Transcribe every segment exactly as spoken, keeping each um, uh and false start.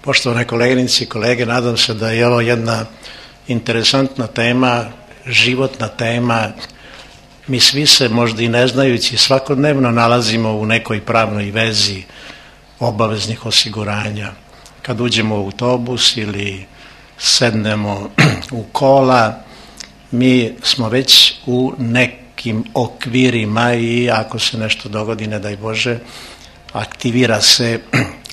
Poštovane koleginice i kolege, nadam se da je ovo jedna interesantna tema, životna tema. Mi svi se, možda i ne znajući, svakodnevno nalazimo u nekoj pravnoj vezi obaveznih osiguranja. Kad uđemo u autobus ili sednemo u kola, mi smo već u nekim okvirima i ako se nešto dogodi, ne daj Bože, aktivira se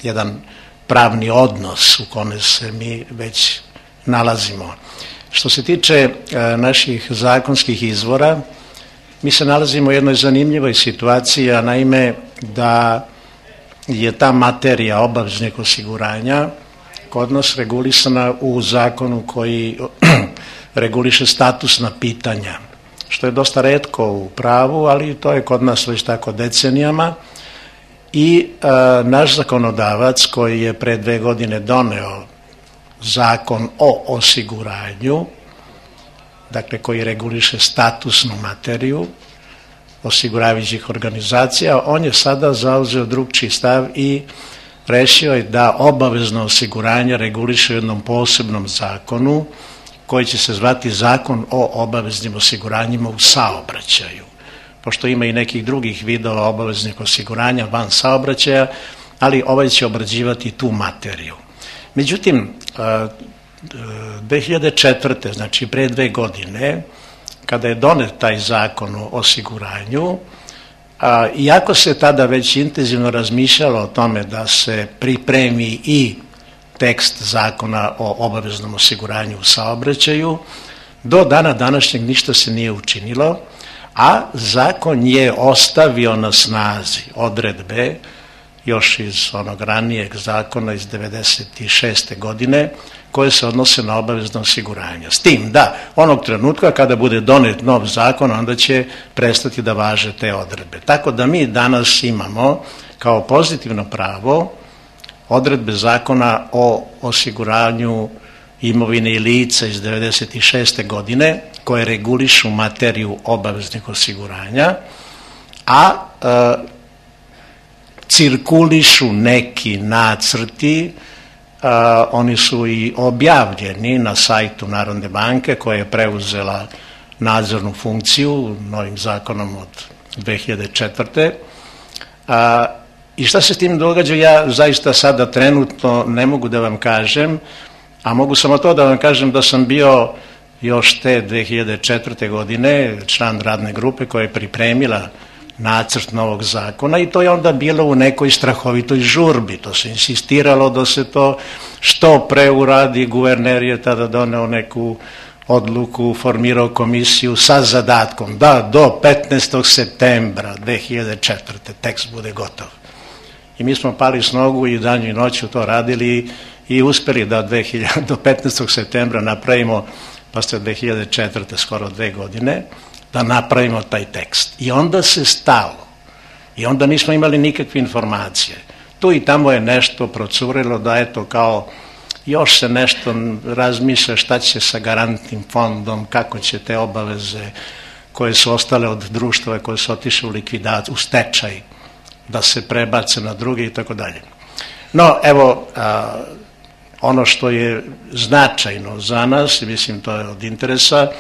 jedan pravni odnos u kome se mi već nalazimo. Što se tiče naših zakonskih izvora, mi se nalazimo u jednoj zanimljivoj situaciji, a naime da je ta materija obaveznih osiguranja kod nas regulisana u zakonu koji reguliše statusna pitanja, što je dosta retko u pravu, ali to je kod nas već tako decenijama. I a, naš zakonodavac koji je pre dve godine doneo zakon o osiguranju, dakle koji reguliše statusnu materiju osiguravajućih organizacija, on je sada zauzeo drugčiji stav i rešio je da obavezno osiguranje reguliše u jednom posebnom zakonu koji će se zvati Zakon o obaveznim osiguranjima u saobraćaju, pošto ima i nekih drugih vidova obaveznih osiguranja van saobraćaja, ali ovaj će obrađivati tu materiju. Međutim, dve hiljade četvrte. znači pre dve godine, kada je donet taj zakon o osiguranju, iako se tada već intenzivno razmišljalo o tome da se pripremi i tekst zakona o obaveznom osiguranju u saobraćaju, do dana današnjeg ništa se nije učinilo, a zakon je ostavio na snazi odredbe još iz onog ranijeg zakona iz devedeset šeste. godine koje se odnose na obavezno osiguranje. S tim da onog trenutka kada bude donet nov zakon, onda će prestati da važe te odredbe. Tako da mi danas imamo kao pozitivno pravo odredbe zakona o osiguranju imovine i lica iz devedeset šeste. godine koje regulišu materiju obaveznih osiguranja, a e, cirkulišu neki nacrti, a, oni su i objavljeni na sajtu Narodne banke koja je preuzela nadzornu funkciju novim zakonom od dve hiljade četvrte. A, I šta se s tim događa, ja zaista sada trenutno ne mogu da vam kažem, a mogu samo to da vam kažem da sam bio još te dve hiljade četvrte. godine član radne grupe koja je pripremila nacrt novog zakona i to je onda bilo u nekoj strahovitoj žurbi. To se insistiralo da se to što pre uradi. Guverner je tada doneo neku odluku, formirao komisiju sa zadatkom da do petnaestog septembra dve hiljade četvrte. tekst bude gotov. I mi smo pali s nogu i danju i noću to radili i uspeli da do petnaestog septembra napravimo, pa ste dve hiljade četvrte. skoro dve godine, da napravimo taj tekst. I onda se stalo. I onda nismo imali nikakve informacije. Tu i tamo je nešto procurilo da eto kao još se nešto razmišlja šta će sa garantnim fondom, kako će te obaveze koje su ostale od društva koje su otišle u likvidaciju, u stečaj, da se prebace na druge i tako dalje. No, evo, a, ono što je značajno za nas, mislim to je od interesa,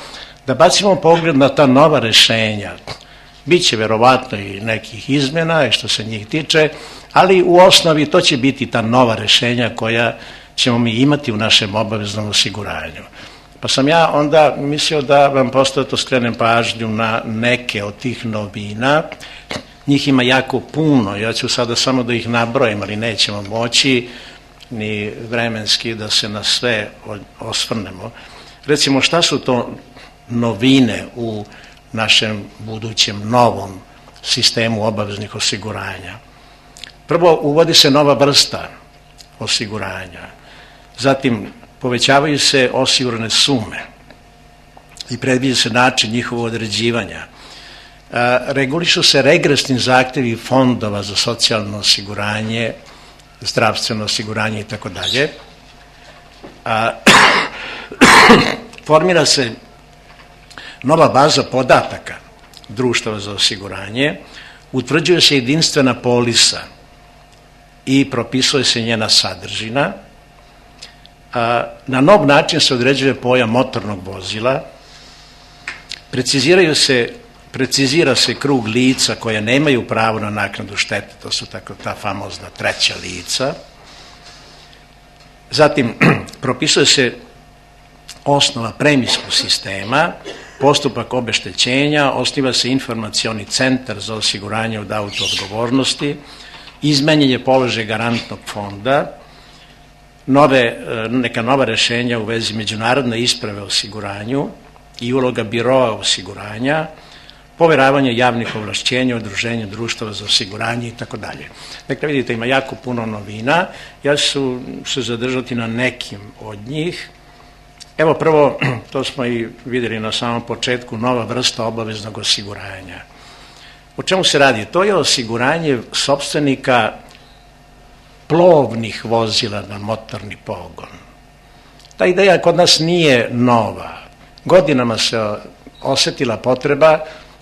da bacimo pogled na ta nova rešenja. Biće verovatno i nekih izmjena i što se njih tiče, ali u osnovi to će biti ta nova rešenja koja ćemo mi imati u našem obaveznom osiguranju. Pa sam ja onda mislio da vam postoje skrenem pažnju na neke od tih novina. Njih ima jako puno, ja ću sada samo da ih nabrojim, ali nećemo moći ni vremenski da se na sve osvrnemo. Recimo, šta su to novine u našem budućem novom sistemu obaveznih osiguranja? Prvo, uvodi se nova vrsta osiguranja. Zatim, povećavaju se osigurane sume i predviđa se način njihovog određivanja. Regulišu se regresni zahtevi fondova za socijalno osiguranje, zdravstveno osiguranje i tako dalje. Formira se nova baza podataka društava za osiguranje, utvrđuje se jedinstvena polisa i propisuje se njena sadržina, Na nov način se određuje pojam motornog vozila, preciziraju se, precizira se krug lica koje nemaju pravo na naknadu štete, to su tako ta famozna treća lica. Zatim, propisuje se osnova premijskog sistema, postupak obeštećenja, osniva se informacioni centar za osiguranje od auto-odgovornosti, izmenjen je položaj garantnog fonda, nove, neka nova rešenja u vezi međunarodne isprave o osiguranju i uloga biroa osiguranja, poveravanje javnih ovlašćenja, udruženja društava za osiguranje i tako dalje. Dakle, vidite, ima jako puno novina, ja ću se zadržati na nekim od njih. Evo prvo, to smo i videli na samom početku, nova vrsta obaveznog osiguranja. O čemu se radi? To je osiguranje sopstvenika plovnih vozila na motorni pogon. Ta ideja kod nas nije nova. Godinama se osetila potreba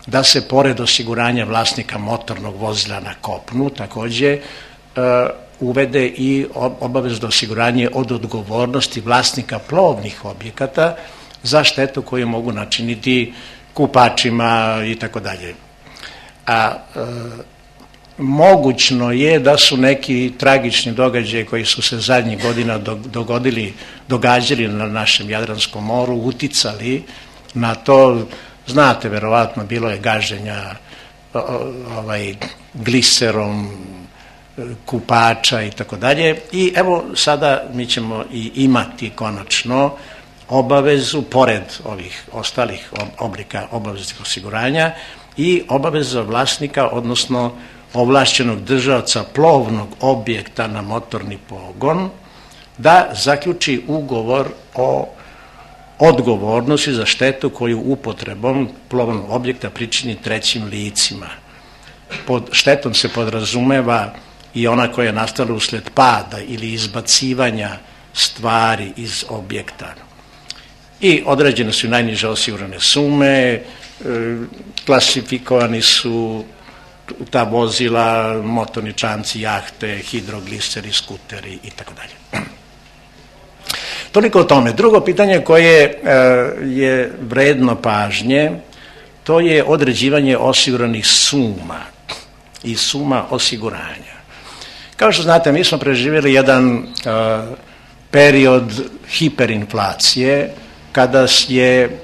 da se pored osiguranja vlasnika motornog vozila na kopnu takođe uvede i obavezno osiguranje od odgovornosti vlasnika plovnih objekata za štetu koju mogu načiniti kupačima i tako dalje. A mogućno je da su neki tragični događaji koji su se zadnjih godina dogodili, događali na našem Jadranskom moru, uticali na to. Znate, verovatno, bilo je gaženja ovaj, gliserom kupača i tako dalje. I evo sada mi ćemo i imati konačno obavezu, pored ovih ostalih oblika obaveznih osiguranja, i obaveza vlasnika, odnosno ovlašćenog držaoca plovnog objekta na motorni pogon, da zaključi ugovor o odgovornosti za štetu koju upotrebom plovnog objekta pričini trećim licima. Pod štetom se podrazumeva i ona koja je nastala usled pada ili izbacivanja stvari iz objekta. I određene su najniže osigurane sume, klasifikovani su ta vozila, motorni čamci, jahte, hidrogliseri, skuteri i tako dalje. Toliko o tome. Drugo pitanje koje je vredno pažnje, to je određivanje osiguranih suma i suma osiguranja. Kao što znate, mi smo preživjeli jedan period hiperinflacije kada je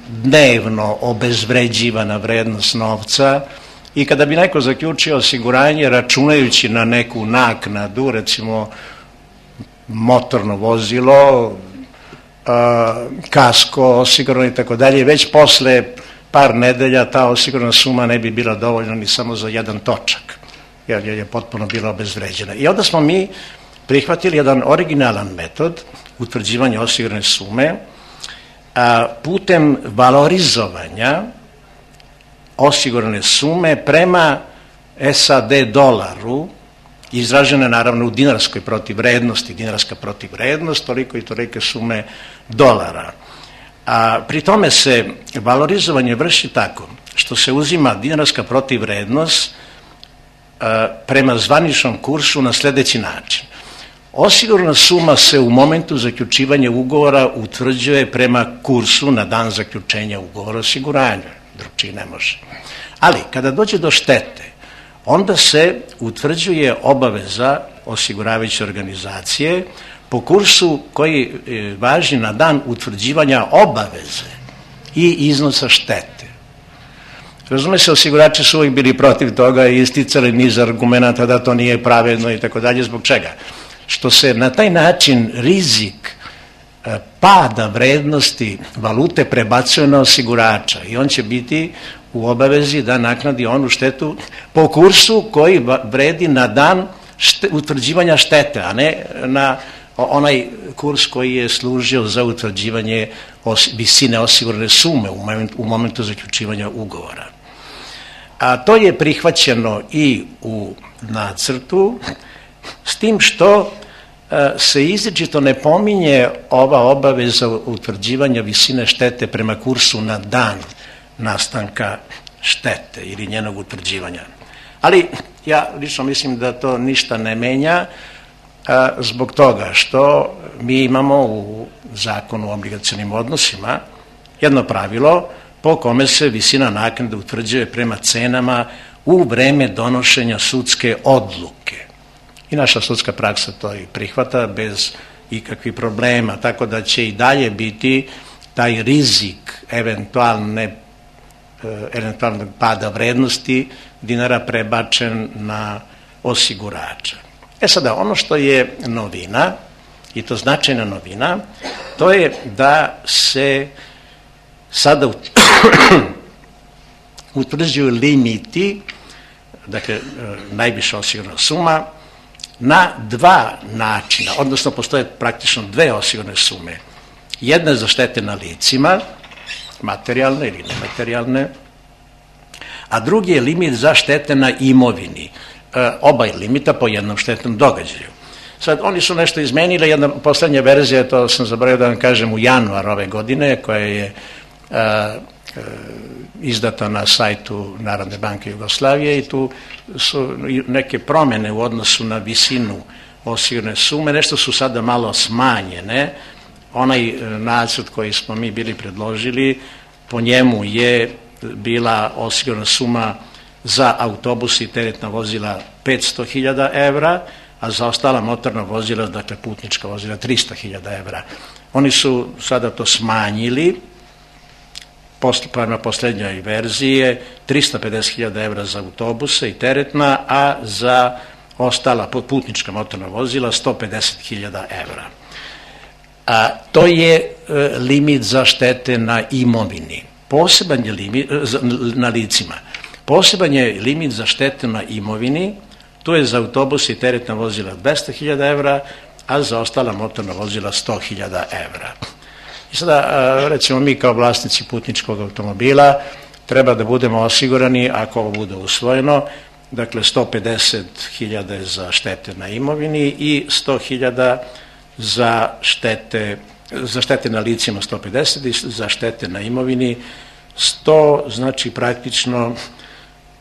dnevno obezvređivana vrednost novca i kada bi neko zaključio osiguranje računajući na neku naknadu, recimo motorno vozilo, kasko osigurano i tako dalje, već posle par nedelja ta osigurana suma ne bi bila dovoljna ni samo za jedan točak, jer je potpuno bila obezvređena. I onda smo mi prihvatili jedan originalan metod utvrđivanja osigurane sume putem valorizovanja osigurane sume prema S A D dolaru, izražena naravno u dinarskoj protivvrednosti, dinarska protivvrednost, toliko i tolike sume dolara. A pri tome se valorizovanje vrši tako što se uzima dinarska protivvrednost prema zvaničnom kursu na sledeći način. Osigurana suma se u momentu zaključivanja ugovora utvrđuje prema kursu na dan zaključenja ugovora o osiguranju, drugčije ne može. Ali kada dođe do štete, onda se utvrđuje obaveza osiguravajuće organizacije po kursu koji važi na dan utvrđivanja obaveze i iznosa štete. Razume se, osigurači su uvijek bili protiv toga i isticali niz argumenta da to nije pravedno i tako dalje. Zbog čega? Što se na taj način rizik pada vrednosti valute prebacuje na osigurača i on će biti u obavezi da naknadi onu štetu po kursu koji vredi na dan utvrđivanja štete, a ne na onaj kurs koji je služio za utvrđivanje visine osigurane sume u momentu zaključivanja ugovora. A to je prihvaćeno i u nacrtu, s tim što se izričito ne pominje ova obaveza utvrđivanja visine štete prema kursu na dan nastanka štete ili njenog utvrđivanja. Ali ja lično mislim da to ništa ne menja zbog toga što mi imamo u Zakonu o obligacionim odnosima jedno pravilo po kome se visina naknade utvrđuje prema cenama u vreme donošenja sudske odluke. I naša sudska praksa to i prihvata bez ikakvih problema, tako da će i dalje biti taj rizik eventualne, eventualnog pada vrednosti dinara prebačen na osigurača. E sada, ono što je novina, i to značajna novina, to je da se sada utvrđuju limiti, dakle, najviša osigurana suma, na dva načina, odnosno postoje praktično dve osigurane sume. Jedna je za štete na licima, materijalne ili nematerijalne, a drugi je limit za štete na imovini. E, oba je limita po jednom štetnom događaju. Sad, oni su nešto izmenili, jedna poslednja verzija, to sam zaboravio da vam kažem, u januar ove godine, koja je e, e, izdata na sajtu Narodne banke Jugoslavije, i tu su neke promene u odnosu na visinu osigurane sume, nešto su sada malo smanjene. Onaj nacrt koji smo mi bili predložili, po njemu je bila osigurana suma za autobus i teretna vozila petsto hiljada evra, a za ostala motorna vozila, dakle putnička vozila, trista hiljada evra. Oni su sada to smanjili, prema poslednjoj verziji je trista pedeset hiljada evra za autobuse i teretna, a za ostala putnička motorna vozila sto pedeset hiljada evra. A, to je e, limit za štete na imovini. Poseban je limit, na licima. Poseban je limit za štete na imovini, to je za autobus i teretna vozila dvesta hiljada evra, a za ostala motorna vozila sto hiljada evra. I sada, recimo, mi kao vlasnici putničkog automobila treba da budemo osigurani, ako ovo bude usvojeno, dakle sto pedeset hiljada za štete na imovini i sto hiljada za štete, za štete na licima sto pedeset i za štete na imovini sto, znači praktično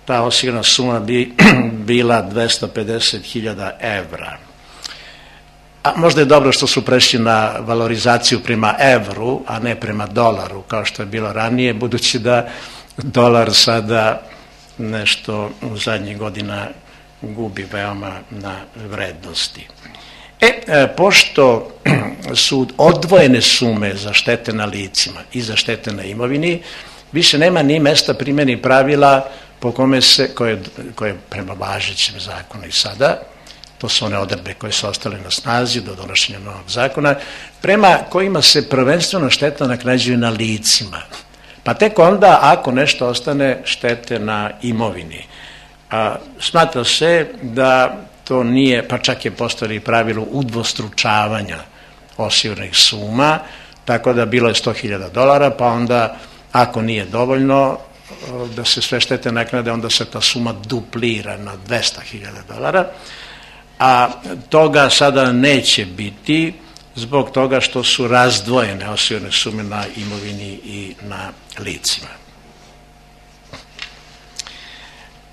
ta osigurana suma bi bila dvesta pedeset hiljada evra. A možda je dobro što su prešli na valorizaciju prema evru, a ne prema dolaru, kao što je bilo ranije, budući da dolar sada nešto u zadnjih godina gubi veoma na vrednosti. E, pošto su odvojene sume za štete na licima i za štete na imovini, više nema ni mesta primjeni pravila po kome se, koje, koje prema važećem zakonu i sada, to su one odredbe koje su ostale na snazi do donošenja novog zakona, prema kojima se prvenstveno šteta naknadžuje na licima. Pa tek onda, ako nešto ostane, štete na imovini. A, smatra se da to nije, pa čak je postojalo pravilo udvostručavanja osiguranih suma, tako da bilo je sto hiljada dolara, pa onda, ako nije dovoljno da se sve štete naknade, onda se ta suma duplira na dvesta hiljada dolara, a toga sada neće biti zbog toga što su razdvojene osigurane sume na imovini i na licima.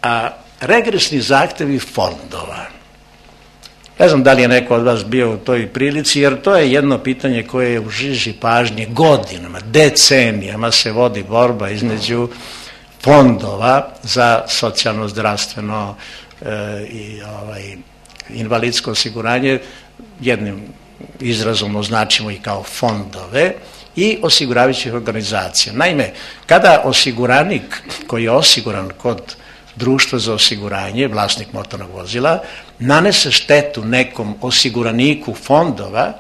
A regresni zahtevi fondova. Ne znam da li je neko od vas bio u toj prilici, jer to je jedno pitanje koje je u žiži pažnje godinama, decenijama se vodi borba između fondova za socijalno, zdravstveno e, i ovaj, invalidsko osiguranje, jednim izrazom označimo i kao fondove, i osiguravajućih organizacija. Naime, kada osiguranik koji je osiguran kod društva za osiguranje, vlasnik motornog vozila, nanese štetu nekom osiguraniku fondova,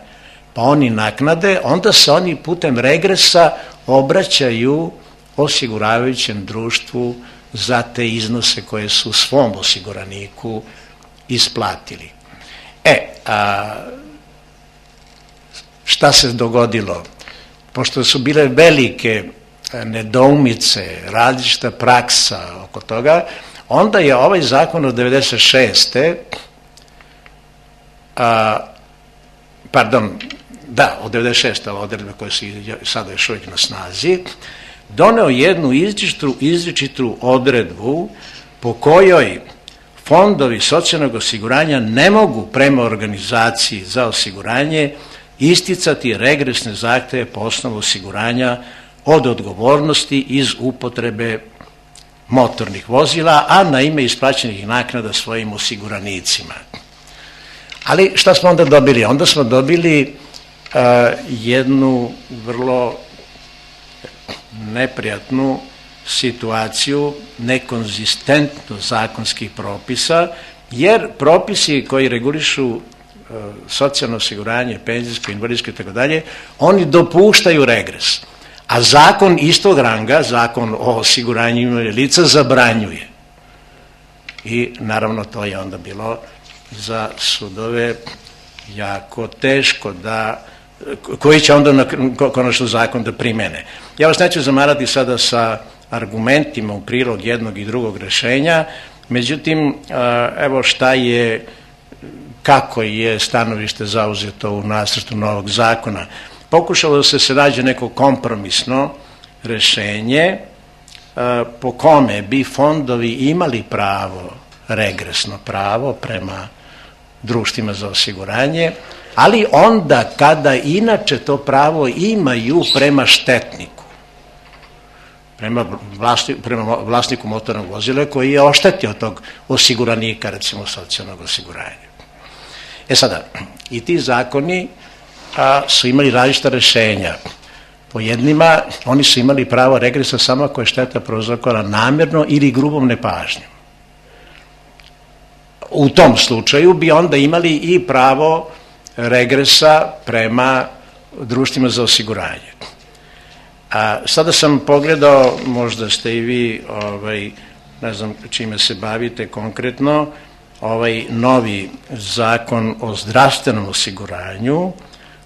pa oni naknade, onda se oni putem regresa obraćaju osiguravajućem društvu za te iznose koje su svom osiguraniku isplatili. E, a šta se dogodilo? Pošto su bile velike nedoumice, različita praksa oko toga, onda je ovaj zakon od devedeset šeste. A, pardon, da, od devedeset šeste odredbe koje su sada još uvijek na snazi, doneo jednu izričitu, izričitu odredbu po kojoj fondovi socijalnog osiguranja ne mogu prema organizaciji za osiguranje isticati regresne zahteve po osnovu osiguranja od odgovornosti iz upotrebe motornih vozila, a na ime isplaćenih naknada svojim osiguranicima. Ali šta smo onda dobili? Onda smo dobili uh, jednu vrlo neprijatnu situaciju nekonzistentno zakonskih propisa, jer propisi koji regulišu uh, socijalno osiguranje, penzijsko, invalidsko i tako dalje, oni dopuštaju regres. A zakon istog ranga, zakon o osiguranju lica, zabranjuje. I naravno to je onda bilo za sudove jako teško da, koji će onda na, konačno zakon da primene. Ja vas neću zamarati sada sa argumentima u prilog jednog i drugog rešenja, međutim, evo šta je, kako je stanovište zauzeto u nacrtu novog zakona. Pokušalo se se nađe neko kompromisno rešenje po kome bi fondovi imali pravo, regresno pravo prema društvima za osiguranje, ali onda kada inače to pravo imaju prema štetniku, prema, vlasti, prema vlasniku motornog vozila koji je oštetio tog osiguranika, recimo socijalnog osiguranja. E sada, i ti zakoni a, su imali različita rešenja. Po jednima, oni su imali pravo regresa samo ako je šteta prouzrokovana namjerno ili grubom nepažnjom. U tom slučaju bi onda imali i pravo regresa prema društvima za osiguranje. A sada sam pogledao, možda ste i vi, ovaj, ne znam čime se bavite konkretno, ovaj novi zakon o zdravstvenom osiguranju,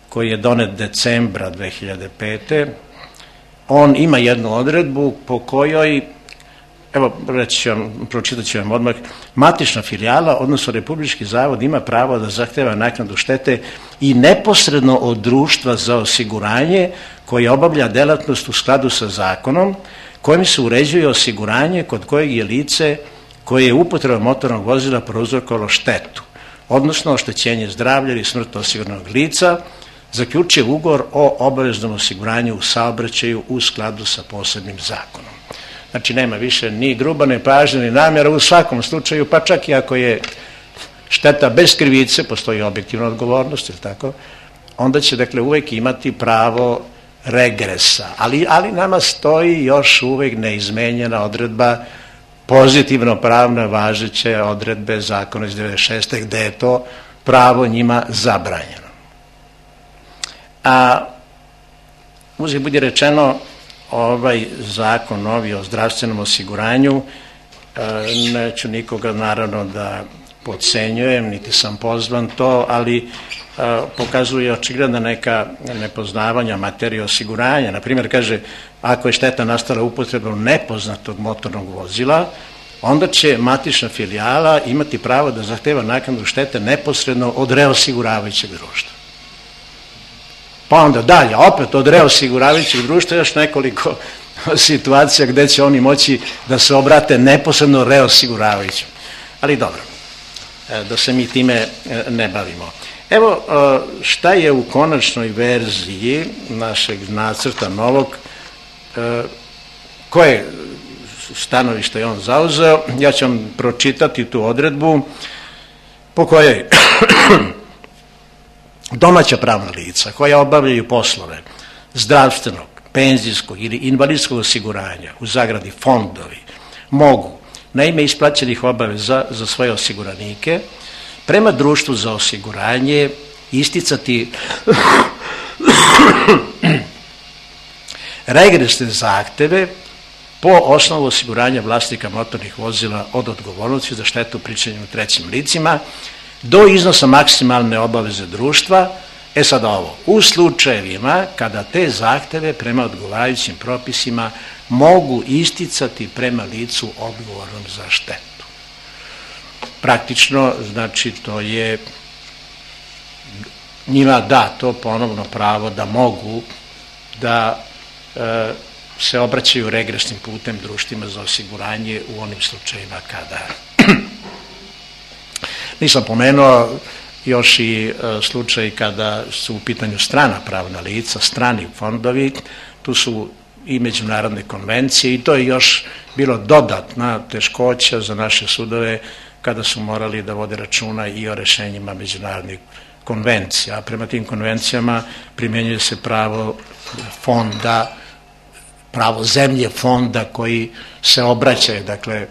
koji je donet decembra dve hiljade pete. On ima jednu odredbu po kojoj, evo reći ću vam, pročitat ću vam odmah, matična filijala, odnosno Republički zavod, ima pravo da zahteva naknadu štete i neposredno od društva za osiguranje koje obavlja delatnost u skladu sa zakonom kojim se uređuje osiguranje kod kojeg je lice koje je upotrebom motornog vozila prouzrokovalo štetu, odnosno oštećenje zdravlja ili smrt osiguranog lica, zaključuje ugovor o obaveznom osiguranju u saobraćaju u skladu sa posebnim zakonom. Znači, nema više ni gruba nepažnja, ni namjera, u svakom slučaju, pa čak i ako je šteta bez krivice, postoji objektivna odgovornost, ili tako, onda će, dakle, uvek imati pravo regresa. Ali, ali nama stoji još uvek neizmenjena odredba, pozitivno pravno važeće odredbe zakona iz devedeset šeste. gde je to pravo njima zabranjeno. A uzgled budi rečeno, ovaj zakon novi o zdravstvenom osiguranju, neću nikoga naravno da podcenjujem, niti sam pozvan to, ali pokazuje očigledna neka nepoznavanja materije osiguranja. Naprimjer, kaže, ako je šteta nastala upotrebom nepoznatog motornog vozila, onda će matična filijala imati pravo da zahteva naknadu štete neposredno od reosiguravajućeg društva. Pa onda dalje, opet od reosiguravajućeg društva još nekoliko situacija gde će oni moći da se obrate neposredno reosiguravajućem. Ali dobro, da se mi time ne bavimo. Evo šta je u konačnoj verziji našeg nacrta novog, koje stanovište je on zauzeo. Ja ću vam pročitati tu odredbu po kojoj domaća pravna lica koja obavljaju poslove zdravstvenog, penzijskog ili invalidskog osiguranja, u zagradi fondovi, mogu na ime isplaćenih obaveza za svoje osiguranike prema društvu za osiguranje isticati regresne zahteve po osnovu osiguranja vlasnika motornih vozila od odgovornosti za štetu pričinjenu trećim licima do iznosa maksimalne obaveze društva. E sad ovo, u slučajevima kada te zahteve prema odgovarajućim propisima mogu isticati prema licu odgovornom za štetu. Praktično, znači, to je njima dato ponovno pravo da mogu da e, se obraćaju regresnim putem društvima za osiguranje u onim slučajima kada nisam pomenuo još i slučaj kada su u pitanju strana pravna lica, strani fondovi, tu su i međunarodne konvencije i to je još bilo dodatna teškoća za naše sudove kada su morali da vode računa i o rešenjima međunarodnih konvencija. A prema tim konvencijama primjenjuje se pravo fonda, pravo zemlje fonda koji se obraćaju, dakle,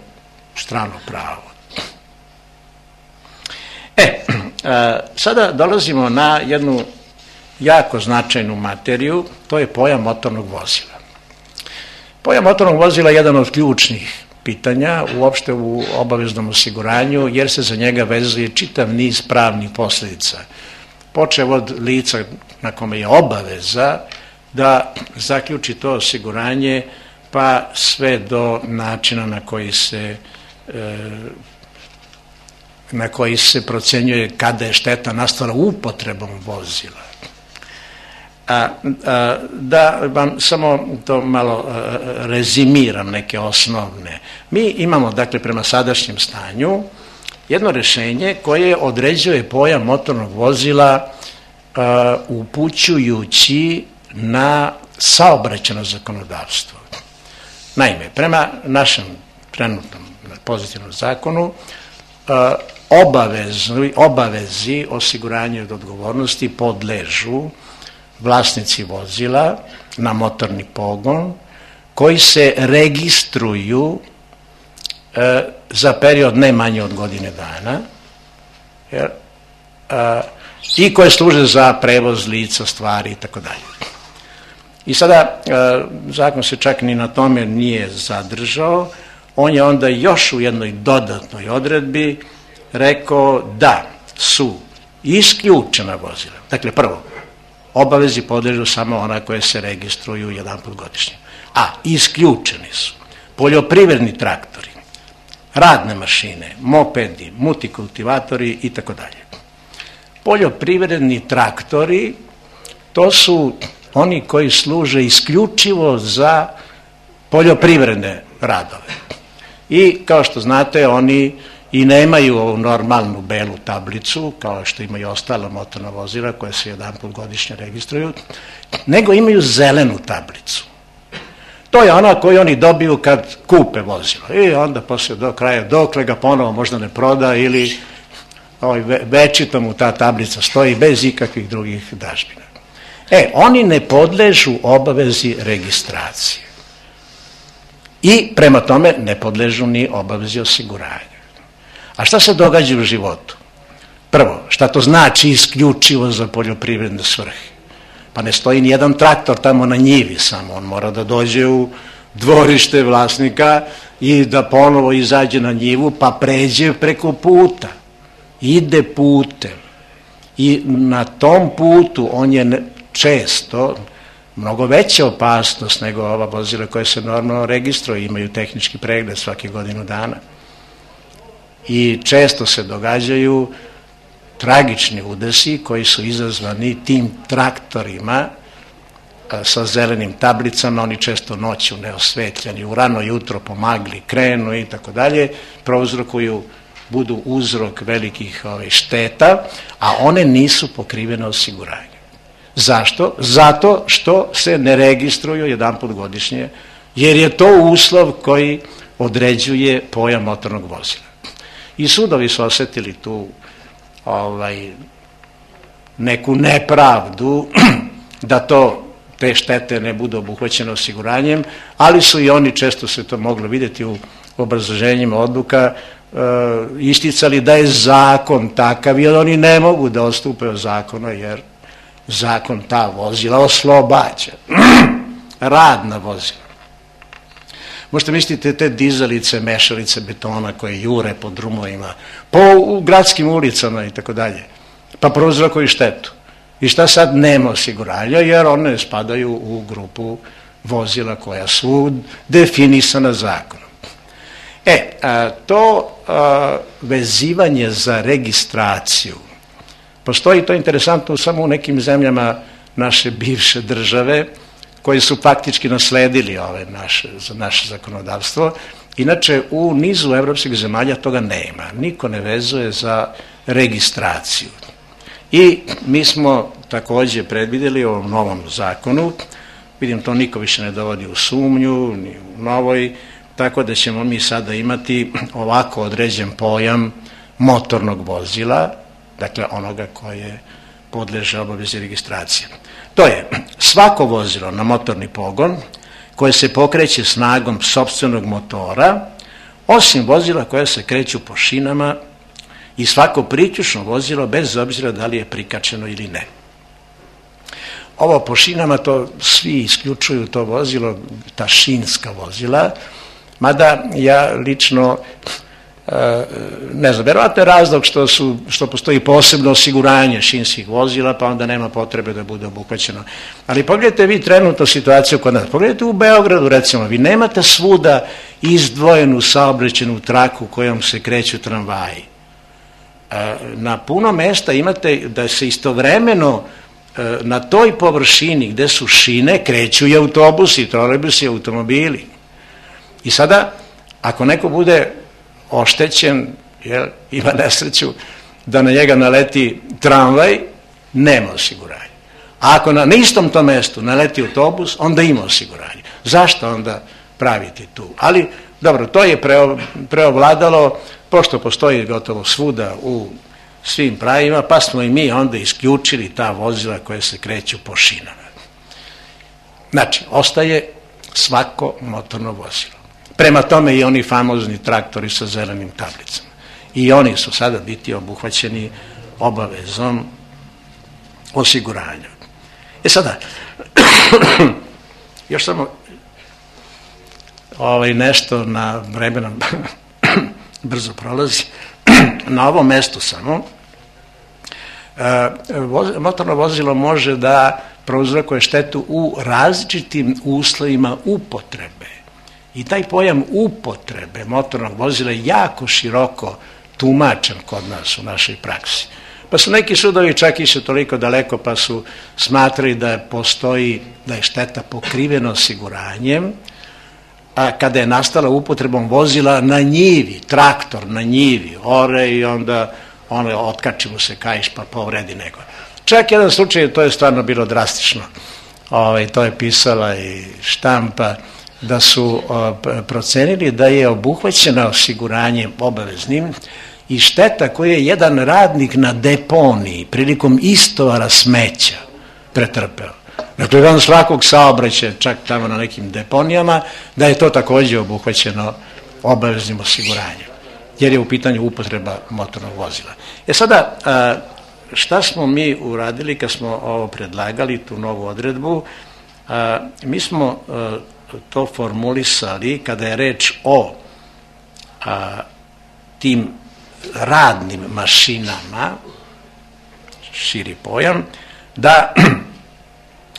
strano pravo. E, sada dolazimo na jednu jako značajnu materiju, to je pojam motornog vozila. Pojam motornog vozila je jedan od ključnih pitanja uopšte u obaveznom osiguranju, jer se za njega vezuje čitav niz pravnih posledica. Počev od lica na kome je obaveza da zaključi to osiguranje, pa sve do načina na koji se na koji se procenjuje kada je šteta nastala upotrebom vozila. A, a, da vam samo to malo a, rezimiram, neke osnovne. Mi imamo, dakle, prema sadašnjem stanju jedno rešenje koje određuje pojam motornog vozila a, upućujući na saobraćajno zakonodavstvo. Naime, prema našem trenutnom pozitivnom zakonu a, obavezi, obavezi osiguranja od odgovornosti podležu vlasnici vozila na motorni pogon koji se registruju e, za period ne manje od godine dana jer, e, i koje služe za prevoz lica, stvari i tako dalje. I sada e, zakon se čak ni na tome nije zadržao, on je onda još u jednoj dodatnoj odredbi rekao da su isključena vozila. Dakle, prvo, obavezi podležu samo ona koje se registruju jedan put godišnje. A isključeni su poljoprivredni traktori, radne mašine, mopedi, multikultivatori i tako dalje. Poljoprivredni traktori, to su oni koji služe isključivo za poljoprivredne radove. I kao što znate, oni i nemaju ovu normalnu belu tablicu, kao što imaju ostala motorna vozila koja se jedan put godišnje registruju, nego imaju zelenu tablicu. To je ona koju oni dobiju kad kupe vozilo. I onda posle do kraja, dokle ga ponovo možda ne proda ili ovaj, večito mu ta tablica stoji bez ikakvih drugih dažbina. E, oni ne podležu obavezi registracije. I prema tome ne podležu ni obavezi osiguranja. A šta se događa u životu? Prvo, šta to znači isključivo za poljoprivredne svrhe? Pa ne stoji ni jedan traktor tamo na njivi samo, on mora da dođe u dvorište vlasnika i da ponovo izađe na njivu, pa pređe preko puta. Ide putem. I na tom putu on je često mnogo veća opasnost nego ova vozila koja se normalno registruju, imaju tehnički pregled svake godinu dana. I često se događaju tragični udesi koji su izazvani tim traktorima sa zelenim tablicama, oni često noću neosvetljeni, u rano jutro po magli krenu i tako dalje, prouzrokuju, budu uzrok velikih ove, šteta, a one nisu pokrivene osiguranjem. Zašto? Zato što se ne registruju jedan put godišnje, jer je to uslov koji određuje pojam motornog vozila. I sudovi su osetili tu ovaj, neku nepravdu da to, te štete ne budu obuhvaćene osiguranjem, ali su i oni, često se to moglo vidjeti u obrazloženjima odluka, e, isticali da je zakon takav i oni ne mogu da odstupe od zakona jer zakon ta vozila oslobađa. Radna vozila. Možete misliti te dizalice, mešalice betona koje jure po drumovima, po gradskim ulicama i tako dalje, pa prouzrokuju štetu. I šta sad? Nema osiguranja jer one spadaju u grupu vozila koja su definisana zakonom. E, a, to a, vezivanje za registraciju, postoji to interesantno samo u nekim zemljama naše bivše države, koji su faktički nasledili ove naše, naše zakonodavstvo. Inače, u nizu evropskih zemalja toga nema. Niko ne vezuje za registraciju. I mi smo takođe predvideli u ovom novom zakonu, vidim to niko više ne dovodi u sumnju, ni u novoj, tako da ćemo mi sada imati ovako određen pojam motornog vozila, dakle onoga koje podleže obavezi registracije. To je svako vozilo na motorni pogon koje se pokreće snagom sopstvenog motora, osim vozila koje se kreću po šinama, i svako priključno vozilo bez obzira da li je prikačeno ili ne. Ovo po šinama, to svi isključuju to vozilo, ta šinska vozila, mada ja lično ne znam, verovatno je razlog što, su, što postoji posebno osiguranje šinskih vozila, pa onda nema potrebe da bude obuhvaćeno. Ali pogledajte vi trenutno situaciju kod nas. Pogledajte u Beogradu, recimo, vi nemate svuda izdvojenu saobraćajnu traku kojom se kreću tramvaji. Na puno mesta imate da se istovremeno na toj površini gde su šine kreću i autobusi, trolejbusi, automobili. I sada, ako neko bude oštećen, jer ima nesreću da na njega naleti tramvaj, nema osiguranja. A ako na istom tom mestu naleti autobus, onda ima osiguranje. Zašto onda praviti tu? Ali, dobro, to je preovladalo, pošto postoji gotovo svuda u svim pravima, pa smo i mi onda isključili ta vozila koje se kreću po šinama. Znači, ostaje svako motorno vozilo. Prema tome i oni famozni traktori sa zelenim tablicama. I oni su sada biti obuhvaćeni obavezom osiguranja. E sada, još samo ovaj, nešto na vremena brzo prolazi. Na ovom mestu samo motorno vozilo može da prouzrokuje štetu u različitim uslovima upotrebe. I taj pojam upotrebe motornog vozila je jako široko tumačen kod nas u našoj praksi. Pa su neki sudovi čak išli toliko daleko pa su smatrali da postoji, da je šteta pokrivena osiguranjem, a kada je nastala upotrebom vozila na njivi, traktor na njivi, ore i onda ono, otkači mu se kaiš pa povredi nego. Čak jedan slučaj, to je stvarno bilo drastično, ovaj, to je pisala i štampa, da su procenili da je obuhvaćena osiguranjem obaveznim i šteta koju je jedan radnik na deponiji prilikom istovara smeća pretrpeo. Dakle, van svakog saobraćaja, čak tamo na nekim deponijama, da je to takođe obuhvaćeno obaveznim osiguranjem, jer je u pitanju upotreba motornog vozila. E sada, šta smo mi uradili kad smo ovo predlagali, tu novu odredbu? Mi smo to formulisali kada je reč o a, tim radnim mašinama, širi pojam, da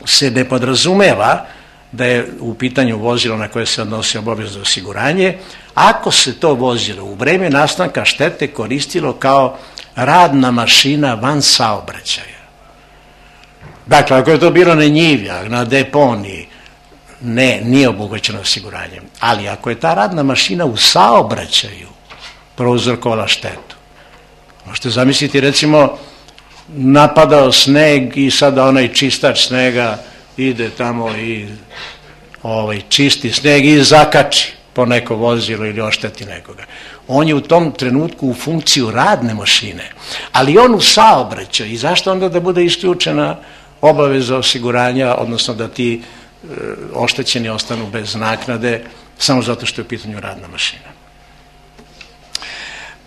se ne podrazumeva da je u pitanju vozilo na koje se odnosi obavezno osiguranje, ako se to vozilo u vreme nastanka štete koristilo kao radna mašina van saobraćaja. Dakle, ako je to bilo na njivi, na deponiji, ne, nije obuhvaćeno osiguranjem. Ali ako je ta radna mašina u saobraćaju prouzrokovala štetu, možete zamisliti, recimo, napadao sneg i sada onaj čistač snega ide tamo i ovaj, čisti sneg i zakači po neko vozilo ili ošteti nekoga. On je u tom trenutku u funkciju radne mašine, ali on u saobraćaju. I zašto onda da bude isključena obaveza osiguranja, odnosno da ti oštećeni ostanu bez naknade samo zato što je u pitanju radna mašina.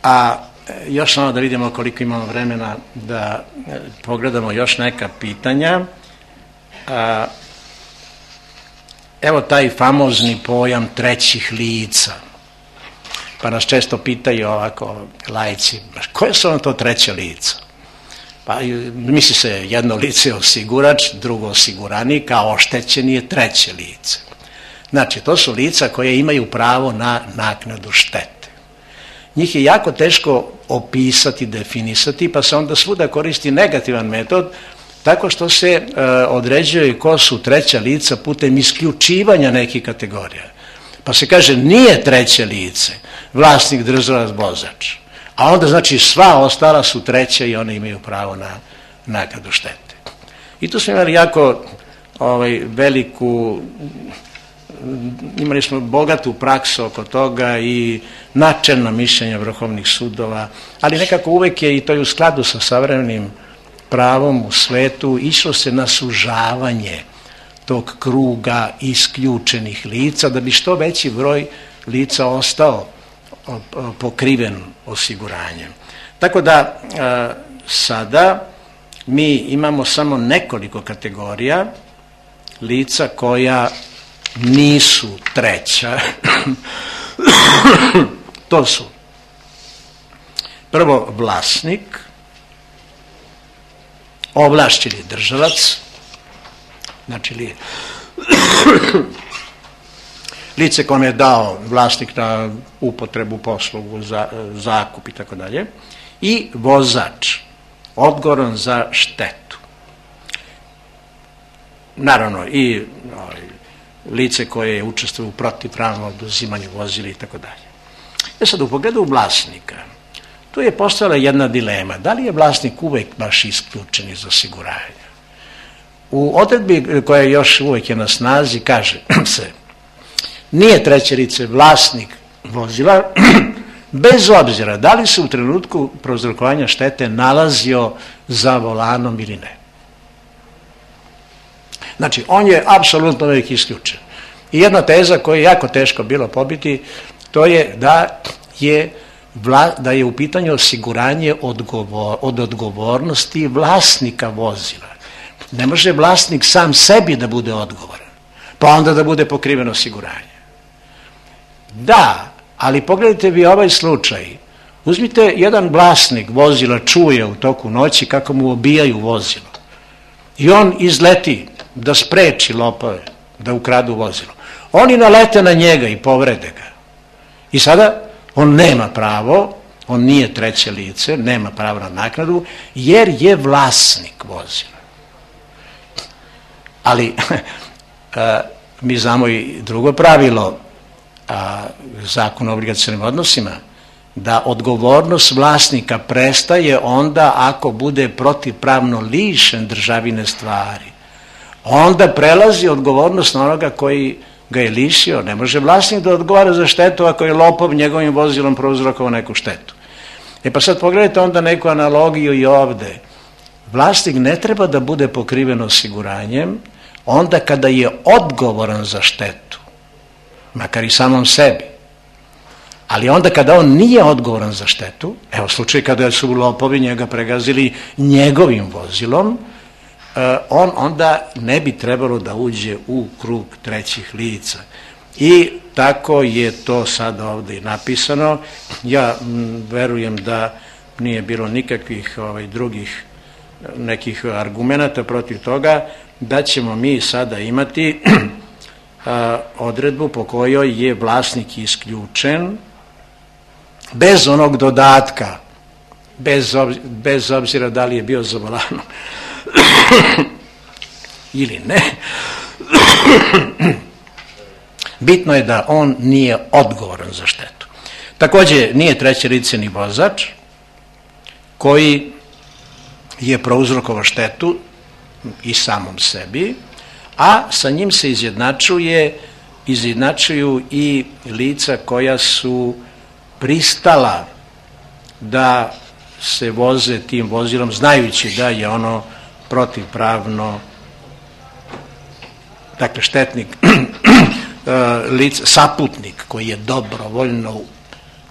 A još samo da vidimo koliko imamo vremena da pogledamo još neka pitanja. A, evo taj famozni pojam trećih lica. Pa nas često pitaju ovako laici, koje su ono to treće lica? Pa misli se jedno lice je osigurač, drugo osiguranik, a oštećeni je treće lice. Znači, to su lica koje imaju pravo na naknadu štete. Njih je jako teško opisati, definisati, pa se onda svuda koristi negativan metod, tako što se e, određuje ko su treća lica putem isključivanja nekih kategorija. Pa se kaže, nije treće lice vlasnik, držilac, vozač. A onda znači sva ostala su treće i one imaju pravo na naknadu štete. I tu smo imali jako ovaj, veliku, imali smo bogatu praksu oko toga i načelna mišljenja vrhovnih sudova, ali nekako uvek je, i to je u skladu sa savremenim pravom u svetu, išlo se na sužavanje tog kruga isključenih lica, da bi što veći broj lica ostao pokriven osiguranjem. Tako da sada mi imamo samo nekoliko kategorija lica koja nisu treća. To su prvo vlasnik, ovlašćeni držalac, znači li lice kome je dao vlasnik na upotrebu, poslugu, za, zakup i tako dalje, i vozač, odgovoran za štetu. Naravno i ovaj, lice koje je učestvovalo u protivpravnom oduzimanju vozila i tako dalje. E sad, u pogledu vlasnika, tu je postojala jedna dilema. Da li je vlasnik uvek baš isključen iz osiguranja? U odredbi koja još uvek je na snazi kaže se: nije treće lice vlasnik vozila bez obzira da li se u trenutku prouzrokovanja štete nalazio za volanom ili ne. Znači, on je apsolutno uvek isključen. I jedna teza koju je jako teško bilo pobiti, to je da je, vla, da je u pitanju osiguranje odgovor, od odgovornosti vlasnika vozila. Ne može vlasnik sam sebi da bude odgovoran, pa onda da bude pokriveno osiguranje. Da, ali pogledajte vi ovaj slučaj. Uzmite, jedan vlasnik vozila čuje u toku noći kako mu obijaju vozilo i on izleti da spreči lopove da ukradu vozilo. Oni nalete na njega i povrede ga. I sada on nema pravo, on nije treće lice, nema pravo na naknadu, jer je vlasnik vozila. Ali mi znamo i drugo pravilo Zakona o obligacionim odnosima, da odgovornost vlasnika prestaje onda ako bude protivpravno lišen državine stvari. Onda prelazi odgovornost na onoga koji ga je lišio. Ne može vlasnik da odgovara za štetu ako je lopov njegovim vozilom prouzrokovao neku štetu. E pa sad pogledajte onda neku analogiju i ovde. Vlasnik ne treba da bude pokriven osiguranjem onda kada je odgovoran za štetu, makar i samom sebi. Ali onda kada on nije odgovoran za štetu, evo slučaj kada su lopovi njega pregazili njegovim vozilom, on onda ne bi trebalo da uđe u krug trećih lica. I tako je to sad ovde napisano. Ja verujem da nije bilo nikakvih ovaj, drugih nekih argumenata protiv toga, da ćemo mi sada imati a, odredbu po kojoj je vlasnik isključen bez onog dodatka, bez, ob, bez obzira da li je bio za volanom ili ne. Bitno je da on nije odgovoran za štetu. Također nije treće lice ni vozač koji je prouzrokovao štetu i samom sebi, a sa njim se izjednačuje, izjednačuju i lica koja su pristala da se voze tim vozilom znajući da je ono protivpravno, dakle štetnik, lice, saputnik koji je dobrovoljno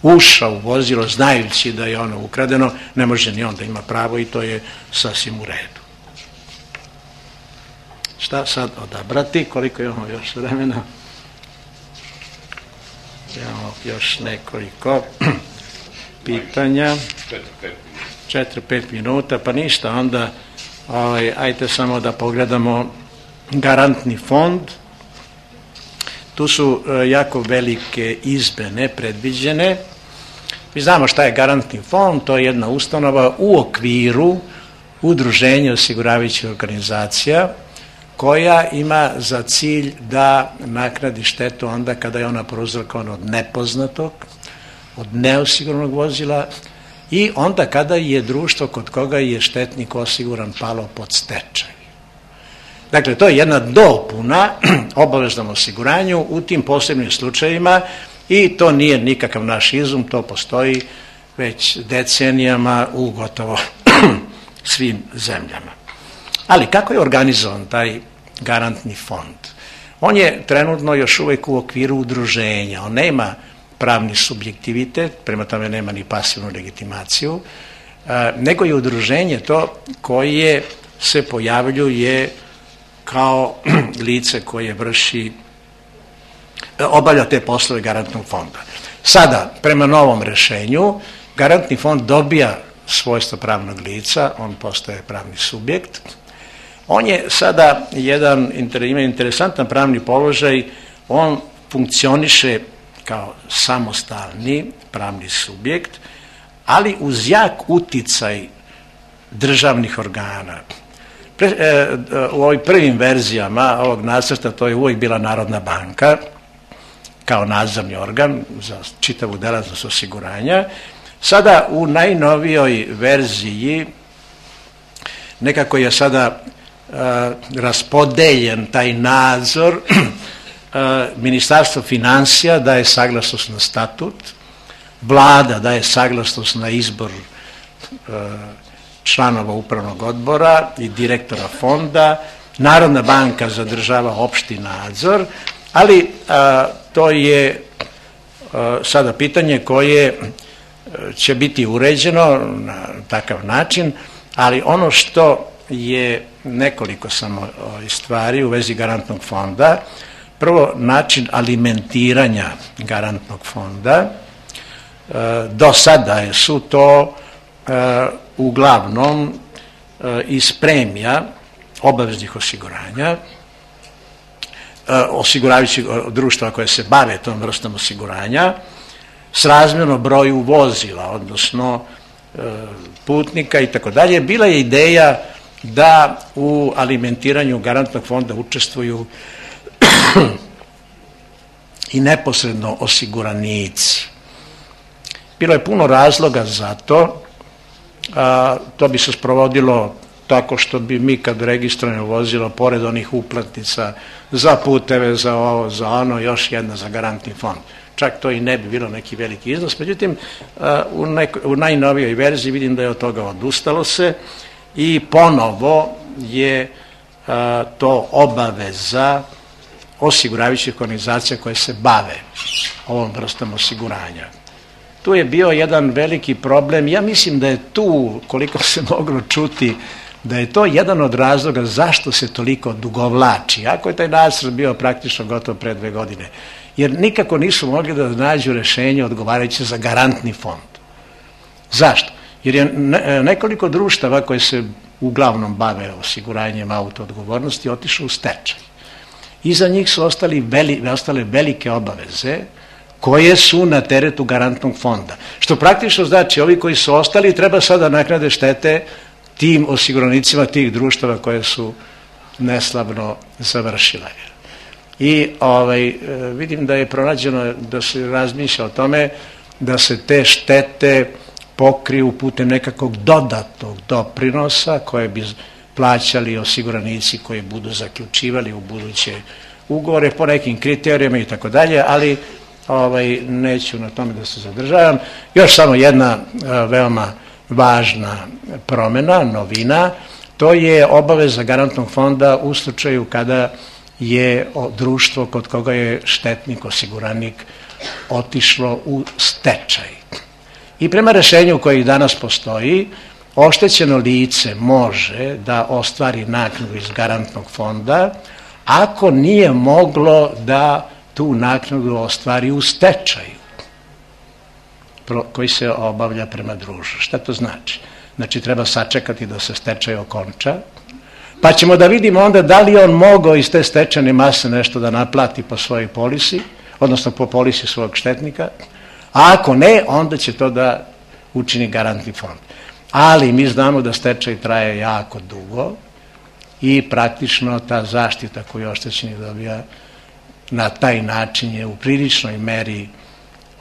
ušao u vozilo znajući da je ono ukradeno, ne može ni on da ima pravo i to je sasvim u redu. Šta sad odabrati? Koliko imamo još vremena? Imamo još nekoliko pitanja. četiri pet minuta, pa ništa, onda ovaj, ajte samo da pogledamo garantni fond. Tu su jako velike izmene predviđene. Mi znamo šta je garantni fond, to je jedna ustanova u okviru udruženja osiguravajućih organizacija koja ima za cilj da naknadi štetu onda kada je ona prouzrokovana od nepoznatog, od neosiguranog vozila i onda kada je društvo kod koga je štetnik osiguran palo pod stečaj. Dakle, to je jedna dopuna obaveznom osiguranju u tim posebnim slučajevima i to nije nikakav naš izum, to postoji već decenijama u gotovo svim zemljama. Ali kako je organizovan taj garantni fond? On je trenutno još uvijek u okviru udruženja, on nema pravni subjektivitet, prema tome nema ni pasivnu legitimaciju, nego je udruženje to koje se pojavljuje kao lice koje vrši, obavlja te poslove garantnog fonda. Sada, prema novom rešenju, garantni fond dobija svojstvo pravnog lica, on postaje pravni subjekt. On je sada jedan, ima interesantan pravni položaj, on funkcioniše kao samostalni pravni subjekt, ali uz jak uticaj državnih organa. Pre, e, u ovim prvim verzijama ovog nacrta to je uvijek bila Narodna banka kao nadzorni organ za čitavu delatnost osiguranja. Sada u najnovijoj verziji nekako je sada e, raspodeljen taj nadzor. e, Ministarstvo finansija daje saglasnost na statut, Vlada daje saglasnost na izbor e, članova upravnog odbora i direktora fonda, Narodna banka zadržava opšti nadzor, ali a, to je a, sada pitanje koje će biti uređeno na takav način, ali ono što je nekoliko samo stvari u vezi garantnog fonda. Prvo, način alimentiranja garantnog fonda. E, do sada su to e, uglavnom e, iz premija obaveznih osiguranja, e, osiguravajućih društva koje se bave tom vrstom osiguranja, srazmjerno broju vozila, odnosno e, putnika i tako dalje. Bila je ideja da u alimentiranju garantnog fonda učestvuju i neposredno osiguranici. Bilo je puno razloga za to. A, to bi se sprovodilo tako što bi mi kad registrujemo vozilo, pored onih uplatnica za puteve, za ovo, za ono, još jedna za garantni fond. Čak to i ne bi bilo neki veliki iznos. Međutim, a, u, neko, u najnovijoj verziji vidim da je od toga odustalo se i ponovo je a, to obaveza osiguravajućih organizacija koje se bave ovom vrstom osiguranja. Tu je bio jedan veliki problem. Ja mislim da je tu, koliko se moglo čuti, da je to jedan od razloga zašto se toliko odugovlači. Ako je taj nacrt bio praktično gotov pre dve godine. Jer nikako nisu mogli da nađu rešenje odgovarajuće za garantni fond. Zašto? Jer je nekoliko društava koje se uglavnom bave osiguranjem autoodgovornosti otišlo u stečaj. Iza njih su ostali veli, ostale velike obaveze koje su na teretu garantnog fonda. Što praktično znači, ovi koji su ostali treba sada naknade štete tim osiguranicima tih društava koje su neslavno završile. I ovaj, vidim da je pronađeno da se razmišlja o tome da se te štete pokriju putem nekakvog dodatnog doprinosa koje bi plaćali osiguranici koji budu zaključivali u buduće ugovore po nekim kriterijima i tako dalje, ali ovaj, neću na tome da se zadržavam. Još samo jedna a, veoma važna promjena, novina, to je obaveza garantnog fonda u slučaju kada je o, društvo kod koga je štetnik, osiguranik otišlo u stečaj. I prema rešenju koji danas postoji, oštećeno lice može da ostvari naknadu iz garantnog fonda ako nije moglo da tu naknadu ostvari u stečaju koji se obavlja prema društvu. Šta to znači? Znači treba sačekati da se stečaj okonča, pa ćemo da vidimo onda da li on mogao iz te stečajne mase nešto da naplati po svojoj polisi, odnosno po polisi svog štetnika, a ako ne, onda će to da učini garantni fond. Ali mi znamo da stečaj traje jako dugo i praktično ta zaštita koju oštećenik dobija na taj način je u priličnoj meri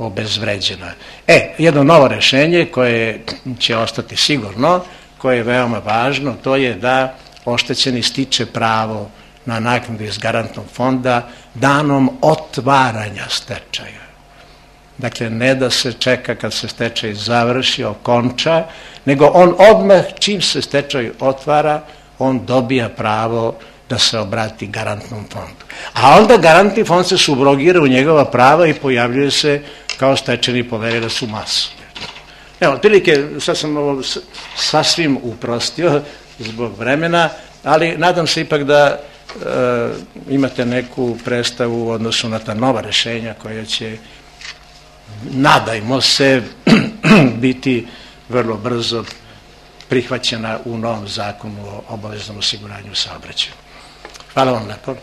obezvređena. E, jedno novo rešenje koje će ostati sigurno, koje je veoma važno, to je da oštećeni stiče pravo na naknadu iz garantnog fonda danom otvaranja stečaja. Dakle, ne da se čeka kad se stečaj završi, okonča, nego on odmah, čim se stečaj otvara, on dobija pravo da se obrati garantnom fondu. A onda garantni fond se subrogira u njegova prava i pojavljuje se kao stečajni poverilac u masu. Evo, otprilike, sad sam ovo sasvim uprostio zbog vremena, ali nadam se ipak da e, imate neku predstavu u odnosu na ta nova rešenja koja će, nadajmo se, biti vrlo brzo prihvaćena u novom zakonu o obaveznom osiguranju saobraćaja. Hvala vam lepo.